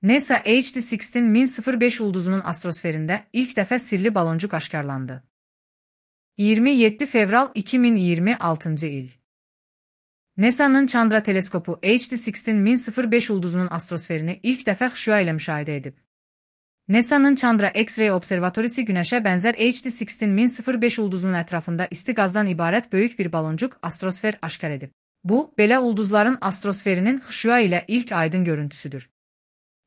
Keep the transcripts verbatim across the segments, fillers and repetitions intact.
NASA H D on altı min sıfır beş ulduzunun astrosferində ilk dəfə sirli baloncuk aşkarlandı. iyirmi yeddi fevral iki min iyirmi altıncı il. NASA'nın Chandra teleskopu H D on altı min sıfır beş ulduzunun astrosferini ilk dəfə xüşüa ilə müşahidə edib. NASA'nın Chandra X-ray observatorisi Günəşə bənzər H D on altı min sıfır beş ulduzunun ətrafında isti qazdan ibarət böyük bir baloncuk astrosfer aşkar edib. Bu, belə ulduzların astrosferinin xüşüa ilə ilk aydın görüntüsüdür.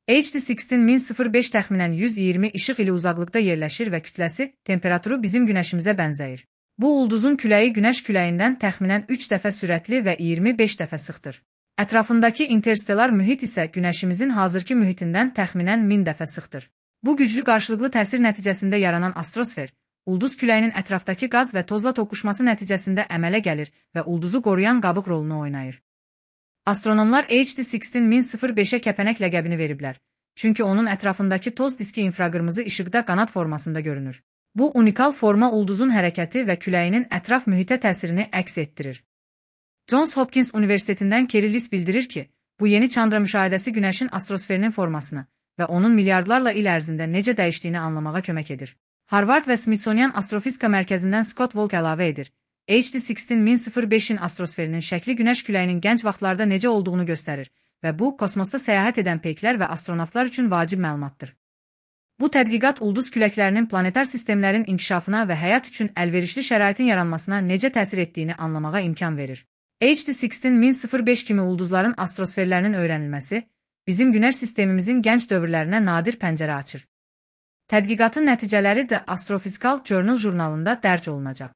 H D on altı min sıfır beş təxminən yüz iyirmi işıq ili uzaqlıqda yerləşir və kütləsi, temperaturu bizim Günəşimizə bənzəyir. Bu ulduzun küləyi Günəş küləyindən təxminən üç dəfə sürətli və iyirmi beş dəfə sıxdır. Ətrafındakı interstellar mühit isə Günəşimizin hazırki mühitindən təxminən min dəfə sıxdır. Bu güclü qarşılıqlı təsir nəticəsində yaranan astrosfer, ulduz küləyinin ətrafdakı qaz və tozla toqquşması nəticəsində əmələ gəlir və ulduzu qoruyan qabıq rolunu oynayır. Astronomlar H D on altı min sıfır beşə kəpənək ləqəbini veriblər, çünki onun ətrafındakı toz diski infraqırmızı işıqda qanad formasında görünür. Bu unikal forma ulduzun hərəkəti və küləyinin ətraf mühitə təsirini əks etdirir. Johns Hopkins Universitetindən Kerry Liss bildirir ki, bu yeni Chandra müşahidəsi Günəşin astrosferinin formasını və onun milyardlarla il ərzində necə dəyişdiyini anlamağa kömək edir. Harvard və Smithsonian Astrofizika Mərkəzindən Scott Volk əlavə edir. H D on altı min sıfır beşin astrosferinin şəkli Günəş küləyinin gənc vaxtlarda necə olduğunu göstərir və bu, kosmosda səyahət edən peyklər və astronavtlar üçün vacib məlumatdır. Bu tədqiqat ulduz küləklərinin planetar sistemlərin inkişafına və həyat üçün əlverişli şəraitin yaranmasına necə təsir etdiyini anlamağa imkan verir. H D on altı min sıfır beş kimi ulduzların astrosferlərinin öyrənilməsi, bizim Günəş sistemimizin gənc dövrlərinə nadir pəncərə açır. Tədqiqatın nəticələri də Astrophysical Journal jurnalında dərc olunacaq.